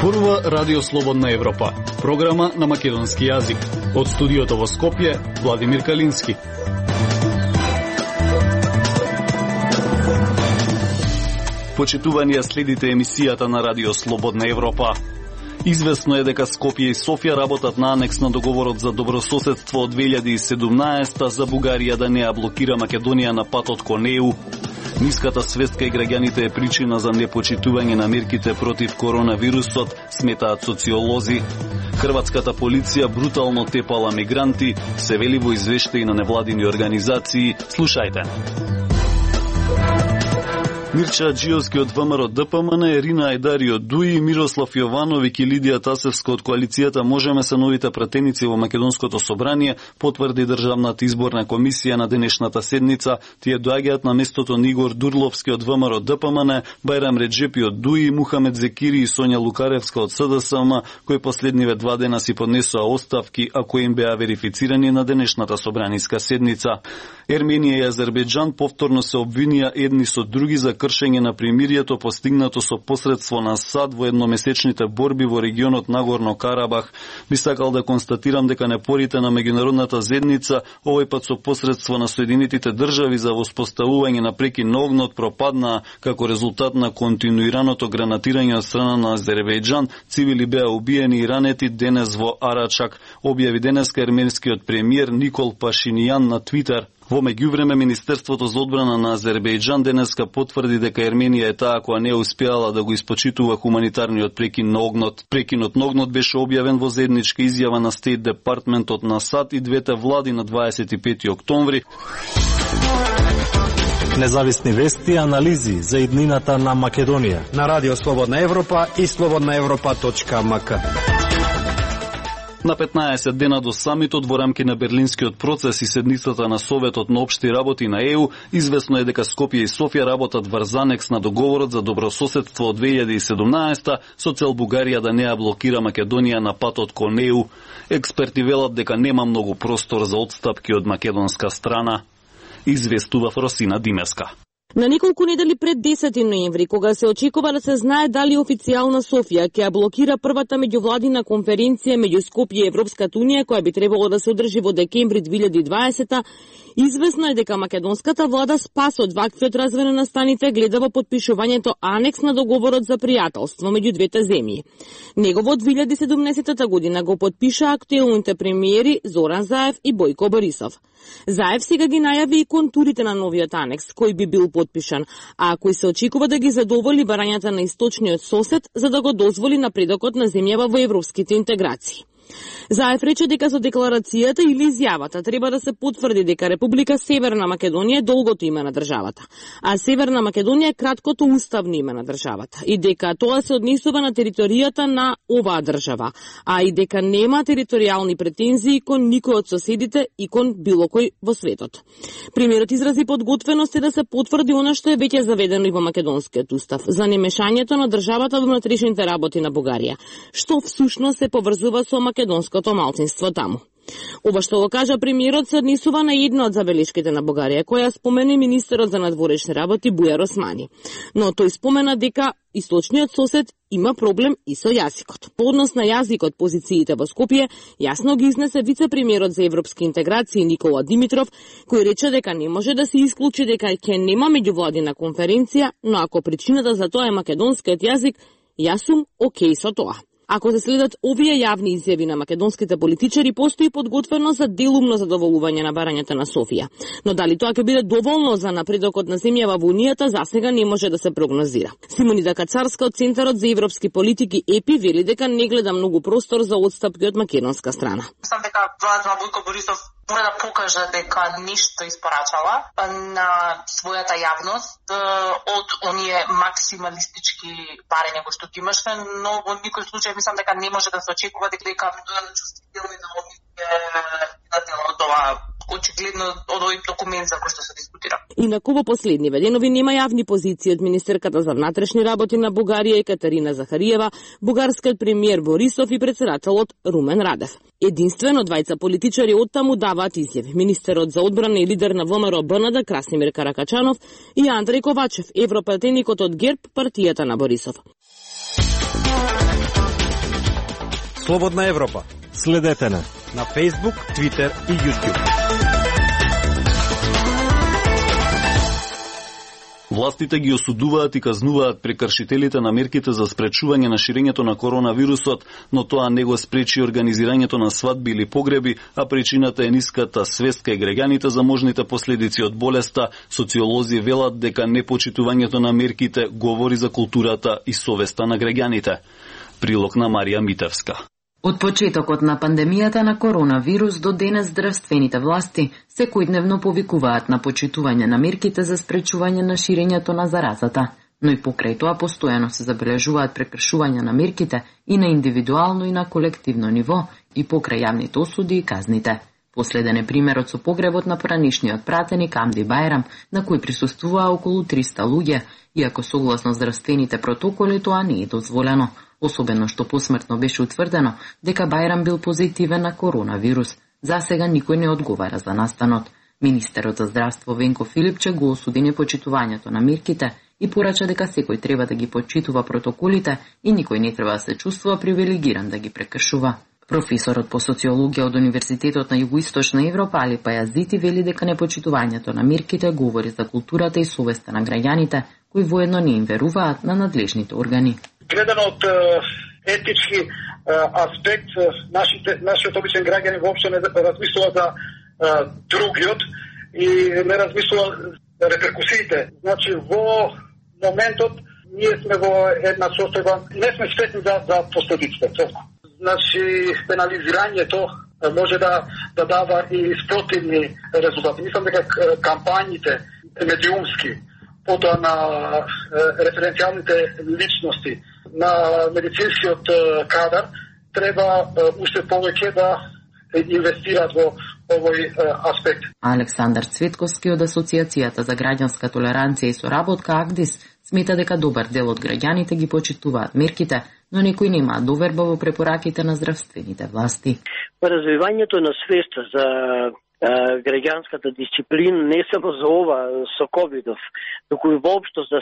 Зборува Радио Слободна Европа, програма на македонски јазик. Од студиото во Скопје, Владимир Калински. Почитувани, следите емисијата на Радио Слободна Европа. Известно е дека Скопје и Софија работат на анекс на договорот за добрососедство од 2017 за Бугарија да не ја блокира Македонија на патот кон ЕУ. Ниската свест кај граѓаните е причина за непочитување на мерките против коронавирусот, сметаат социолози. Хрватската полиција брутално тепала мигранти, се вели во извештаи на невладини организации. Слушајте. Мирча Аџиовски од ВМРО ДПМН, Ирина Ајдари од ДУИ, Мирослав Јовановиќ и Лидија Тасевска од коалицијата Можеме се новите пратеници во Македонското собрание, потврди Државната изборна комисија на денешната седница. Тие доаѓаат на местото на Игор Дурловски од ВМРО ДПМН, Бајрам Реджепи од ДУИ, Мухамед Зекири и Сонја Лукаревска од СДСМ, кои последниве 2 дена си поднесоа оставки, а кои им беа верифицирани на денешната собраниска седница. Ерменија и Азербејџан повторно се обвинија едни со други за кршење на примирието постигнато со посредство на САД во едномесечните борби во регионот Нагорно Карабах. Би сакал да констатирам дека напорите на меѓународната заедница, овој пат со посредство на Соединетите држави за воспоставување на прекин на огнот, пропаднаа како резултат на континуираното гранатирање од страна на Азербејџан. Цивили беа убиени и ранети денес во Арачак, објави денеска ерменскиот премиер Никол Пашинијан на Твитер. Во меѓувреме, Министерството за одбрана на Азербејџан денеска потврди дека Ерменија е таа која не успеала да го испочитува хуманитарниот прекин на огнот. Прекинот на огнот беше објавен во заедничка изјава на Стейт Департментот на САД и двете влади на 25 октомври. Независни вести и анализи за иднината на Македонија на Радио Слободна Европа и slobodnaevropa.mk. На 15 дена до самитот во рамки на Берлинскиот процес и седницата на Советот на општи работи на ЕУ, известно е дека Скопје и Софија работат врз анекс на договорот за добрососедство од 2017 со цел Бугарија да не ја блокира Македонија на патот кон ЕУ. Експерти велат дека нема многу простор за отстапки од македонска страна. Известува Росина Димеска. На неколку недели пред 10 ноември, кога се очекува да се знае дали официјална Софија ќе ја блокира првата меѓувладина конференција меѓу Скопје и Европската унија, која би требало да се одржи во декември 2020, известно е дека македонската влада спас од ваквиот развој на настаните гледа во потпишувањето анекс на договорот за пријателство меѓу двете земји. Него во 2017 година го подпиша актуелните премиери Зоран Заев и Бојко Борисов. Заев сега ги најави и контурите на новиот анекс, кој би бил подпишан, а кој се очекува да ги задоволи барањата на источниот сосед за да го дозволи напредокот на земјава во европските интеграции. Заев рече дека со декларацијата или изјавата треба да се потврди дека Република Северна Македонија е долгото име на државата, а Северна Македонија е краткото уставно име на државата и дека тоа се однесува на територијата на оваа држава, а и дека нема територијални претензии кон никој од соседите и кон било кој во светот. Премиерот изрази подготвеност да се потврди она што е веќе заведено и во македонскиот устав за немешањето на државата во внатрешните работи на Бугарија, што всушност се поврзува со македонското малцинство таму. Ова што го кажа премиерот се однесува на една од забелешките на Бугарија, која спомена министерот за надворешни работи Бујар Османи. Но тој спомена дека источниот сосед има проблем и со јазикот. По однос на јазикот, позициите во Скопје јасно ги изнесе вице-премиерот за европски интеграции Никола Димитров, кој рече дека не може да се исклучи дека ќе нема меѓувладина конференција, но ако причината за тоа е македонскиот јазик, јас сум окей со тоа. Ако се следат овие јавни изјави на македонските политичари, постои подготвеност за делумно задоволување на барањата на Софија. Но дали тоа ќе биде доволно за напредокот на земјава во Унијата, засега не може да се прогнозира. Симонида Кацарска од Центарот за европски политики ЕПИ вели дека не гледа многу простор за отстапки од македонска страна. Мислам дека владата на Бојко Борисов мора да покаже дека ништо испорачала на својата јавност од оние максималистички барања кои што ги имаше, но во никој случај мислам дека не може да се очекува дека чувствителни да од ова очигледно од овој документ за кој што се дискутира. Инаку во последниве денови нема јавни позиции од министерката за внатрешни работи на Бугарија Екатерина Захариева, бугарскиот премиер Борисов и претседателот Румен Радев. Единствено двајца политичари оттаму даваат изјави. Министерот за одбрана и лидер на ВМРО БНД Красимир Каракачанов и Андреј Ковачев, европратеникот од ГЕРБ, партијата на Борисов. Слободна Европа. Следете на Facebook, Twitter и YouTube. Властите ги осудуваат и казнуваат прекршителите на мерките за спречување на ширењето на коронавирусот, но тоа не го спречи организирањето на свадби или погреби, а причината е ниската свест кај граѓаните за можните последици од болеста. Социолози велат дека непочитувањето на мерките говори за културата и совеста на граѓаните. Прилог на Марија Митевска. Од почетокот на пандемијата на коронавирус до денес здравствените власти секојдневно повикуваат на почитување на мерките за спречување на ширењето на заразата, но и покрај тоа постојано се забележуваат прекршувања на мерките и на индивидуално и на колективно ниво и покрај јавните осуди и казните. Последен е примерот со погребот на поранишниот пратеник Амди Бајрам, на кој присуствуваа околу 300 луѓе, иако согласно здравствените протоколи тоа не е дозволено. Особено што посмртно беше утврдено дека Бајрам бил позитивен на коронавирус. За сега никој не одговара за настанот. Министерот за здравство Венко Филипче го осуди непочитувањето на мерките и порача дека секој треба да ги почитува протоколите и никој не треба да се чувствува привилегиран да ги прекршува. Професорот по социологија од Универзитетот на Југоисточна Европа Али Пајазити вели дека непочитувањето на мерките говори за културата и совеста на граѓаните, кои воедно не им веруваат на надлежните органи. Гледано од етички аспект, нашиот обичен граѓани воопшто не размислува за другиот и не размислува за реперкусиите. Значи, во моментот ние сме во една состојба, не сме свесни за последиците. Значи, пенализирањето може да дава и спротивни резултати. Мислам дека кампањите медиумски, потоа на референцијалните личности, на медицинскиот кадар, треба уште повеќе да инвестираат во овој аспект. Александар Цветковски од Асоциацијата за граѓанска толеранција и соработка АГДИС смета дека добар дел од граѓаните ги почитуваат мерките, но некои немаат доверба во препораките на здравствените власти. Развивањето на свеста за граѓанската дисциплина не само за ова со ковидов, туку и воопшто за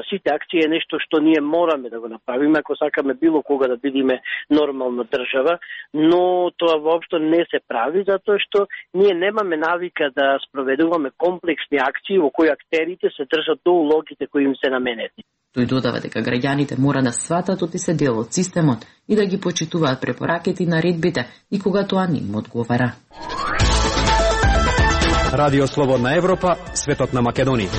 сите акции е нешто што ние мораме да го направиме ако сакаме било кога да бидеме нормална држава, но тоа воопшто не се прави затоа што ние немаме навика да спроведуваме комплексни акции во кои актерите се држат до улогите кои им се наменети. Тој додава дека граѓаните мора да сватат оти се дел од системот и да ги почитуваат препораките и наредбите и кога тоа не им одговара. Радио Слободна Европа, светот на Македонија.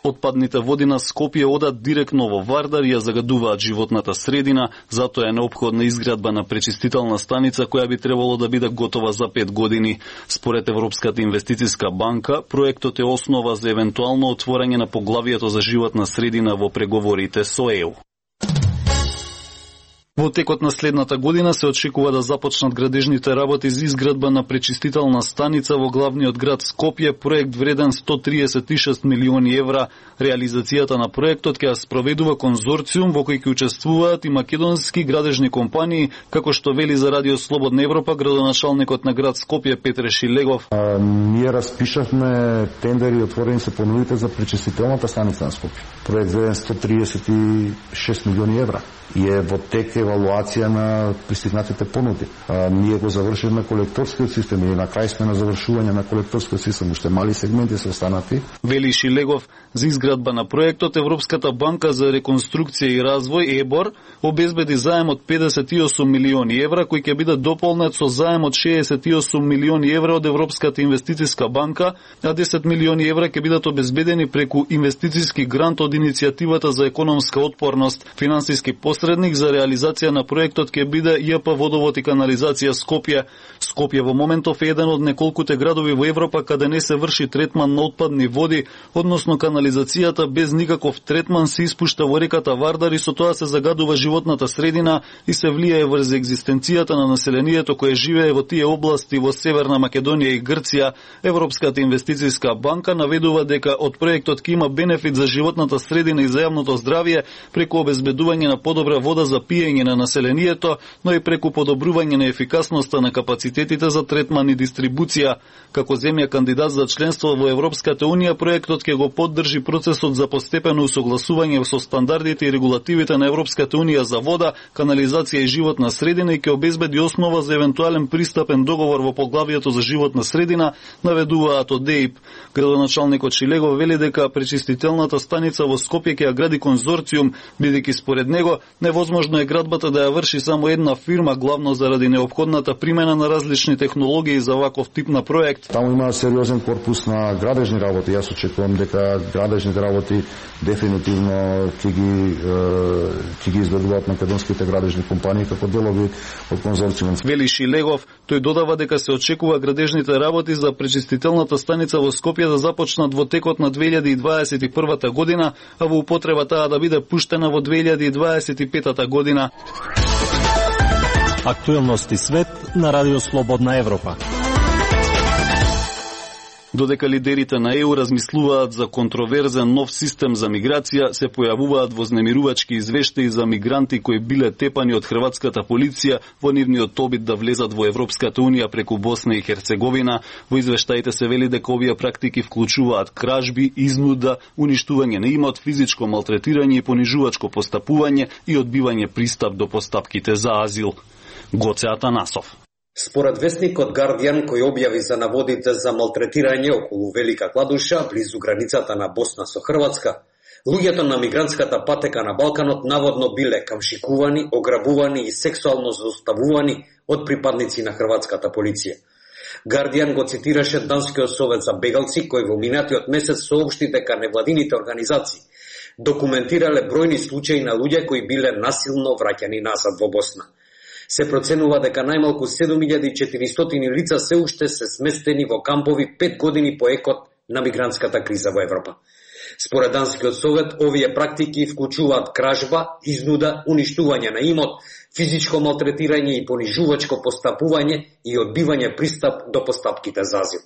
Отпадните води на Скопје одат директно во Вардар и ја загадуваат животната средина, затоа е неопходна изградба на пречистителна станица која би требало да биде готова за 5 години. Според Европската инвестициска банка, проектот е основа за евентуално отворање на поглавието за животна средина во преговорите со ЕУ. Во текот на следната година се очекува да започнат градежните работи за изградба на пречистителна станица во главниот град Скопје, проект вреден 136 милиони евра. Реализацијата на проектот ќе ја спроведува конзорциум во кој ќе учествуваат и македонски градежни компании, како што вели за Радио Слободна Европа градоначалникот на град Скопје Петре Шилегов. Ние распишавме тендери и отворени се понудите за пречистителната станица на Скопје. Проект вреден 136 милиони евра. И е во тек евалуација на пристигнатите понуди. Ние го завршивме колекторскиот систем и на крај сме на завршување на колекторскиот систем. Уште мали сегменти се останати. Вели Шилегов, за изградба на проектот Европската банка за реконструкција и развој ЕБОР обезбеди заем од 58 милиони евра кој ќе биде дополнет со заем од 68 милиони евра од Европската инвестициска банка, а 10 милиони евра ќе бидат обезбедени преку инвестициски грант од иницијативата за економска отпорност. Финансиски посредник за реализација на проектот ќе биде ЈП Водовод и канализација Скопје. Скопје во моментов е еден од неколкуте градови во Европа каде не се врши третман на отпадни води, односно канализацијата без никаков третман се испушта во реката Вардар и со тоа се загадува животната средина и се влијае врз екзистенцијата на населението кое живее во тие области во Северна Македонија и Грција. Европската инвестициска банка наведува дека од проектот ќе има бенефит за животната средина и за јавното здравје преку обезбедување на подобра вода за пиење образување на населението, но и преку подобрување на ефикасноста на капацитетите за третман и дистрибуција. Како земја кандидат за членство во Европската унија, проектот ќе го поддржи процесот за постепено усогласување со стандардите и регулативите на Европската унија за вода, канализација и животна средина и ќе обезбеди основа за евентуален пристапен договор во поглавието за животна средина, наведуваат од ДЕИП. Градоначалникот Шилегов вели дека пречистителната станица во Скопје ќе ја гради конзорциум, бидејќи според него невозможно е градбата да ја врши само една фирма, главно заради неопходната примена на различни технологии за ваков тип на проект. Таму има сериозен корпус на градежни работи. Јас очекувам дека градежните работи дефинитивно ќе ги изведуваат македонските градежни компании како делови од конзорциумот. Вели Шилегов, тој додава дека се очекува градежните работи за пречистителната станица во Скопје да започнат во текот на 2021 година, а во употреба таа да биде пуштена во 2025 година. Актуелности свет на Радио Слободна Европа. Додека лидерите на ЕУ размислуваат за контроверзен нов систем за миграција, се појавуваат вознемирувачки извештаи за мигранти кои биле тепани од хрватската полиција во нивниот обид да влезат во Европската унија преку Босна и Херцеговина. Во извештаите се вели дека овие практики вклучуваат кражби, изнуда, уништување на имот, физичко малтретирање и понижувачко постапување и одбивање пристап до постапките за азил. Гоце Атанасов. Според вестникот Guardian, кој објави за наводите за малтретирање околу Велика Кладуша, близу границата на Босна со Хрватска, луѓето на мигрантската патека на Балканот наводно биле камшикувани, ограбувани и сексуално злоставувани од припадници на хрватската полиција. Guardian го цитираше Данскиот совет за бегалци, кој во минатиот месец соопшти дека невладините организации документирале бројни случаи на луѓе кои биле насилно враќани назад во Босна. Се проценува дека најмалку 7400 лица се уште се сместени во кампови 5 години по екот на мигрантската криза во Европа. Според Данскиот совет, овие практики вклучуваат кражба, изнуда, уништување на имот, физичко малтретирање и понижувачко постапување и одбивање пристап до постапките за азил.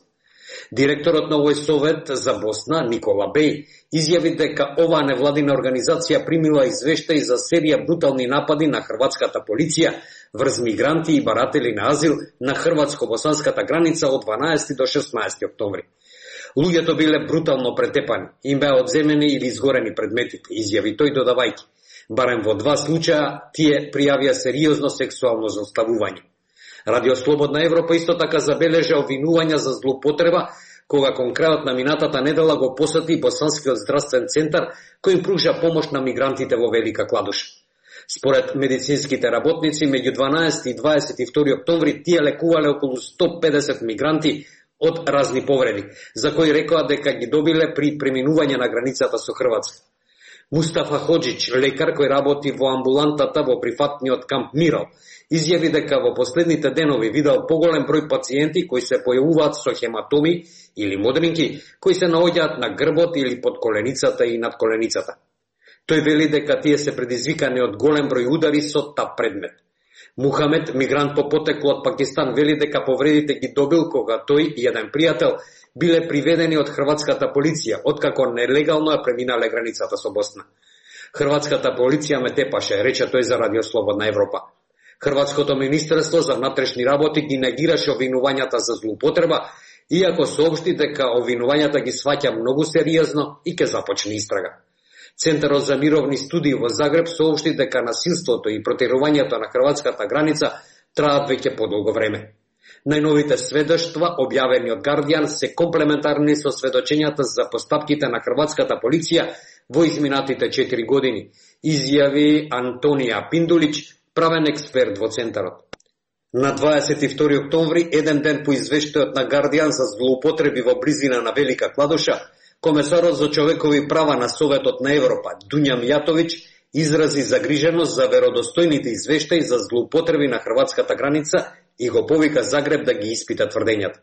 Директорот на овој совет за Босна, Никола Беј, изјави дека оваа невладина организација примила извештаи за серија брутални напади на хрватската полиција врз мигранти и баратели на азил на хрватско-босанската граница од 12 до 16 октомври. Луѓето биле брутално претепани, им беа одземени или изгорени предметите, изјави тој додавајќи. Барем во 2 случаја тие пријавија сериозно сексуално злоставување. Радио Слободна Европа исто така забележа обвинувања за злоупотреба, кога кон крајот на минатата недела го посети Босанскиот здравствен центар, кој им пружа помош на мигрантите во Велика Кладуша. Според медицинските работници, меѓу 12 и 22 октомври тие лекувале околу 150 мигранти од разни повреди, за кои рекоа дека ги добиле при преминување на границата со Хрватска. Мустафа Ходжич, лекар кој работи во амбулантата во прифатниот камп Мирал, изјави дека во последните денови видел поголем број пациенти кои се појавуваат со хематоми или модринки, кои се наоѓаат на грбот или под коленицата и над коленицата. Тој вели дека тие се предизвикани од голем број удари со тап предмет. Мухамед, мигрант по потекло од Пакистан, вели дека повредите ги добил кога тој и еден пријател биле приведени од хрватската полиција, откако нелегално ја преминале границата со Босна. Хрватската полиција ме тепаше, рече тој за Радио Слободна Европа. Хрватското министерство за внатрешни работи ги негираше обвинувањата за злоупотреба, иако соопшти дека обвинувањата ги сваќа многу сериозно и ќе започне истрага. Центарот за мировни студии во Загреб соопшти дека насилството и протирувањето на хрватската граница траат веќе подолго време. Најновите сведоштва, објавени од Guardian, се комплементарни со сведочењата за постапките на хрватската полиција во изминатите 4 години, изјави Антонија Пиндулич, правен експерт во Центарот. На 22 октомври, еден ден по извештајот на Guardian за злоупотреби во близина на Велика Кладуша, комесарот за човекови права на Советот на Европа, Дуња Мијатовиќ, изрази загриженост за веродостојните извештаи за злоупотреби на хрватската граница и го повика Загреб да ги испита тврдењата.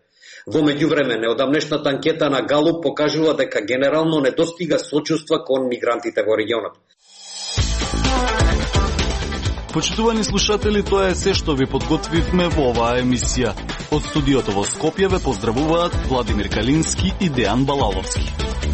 Во меѓувреме, неодамнешната анкета на Галуп покажува дека генерално не достига сочувства кон мигрантите во регионот. Почитувани слушатели, тоа е се што ви подготвивме во оваа емисија. Од студиото во Скопје ве поздравуваат Владимир Калински и Дејан Балаловски.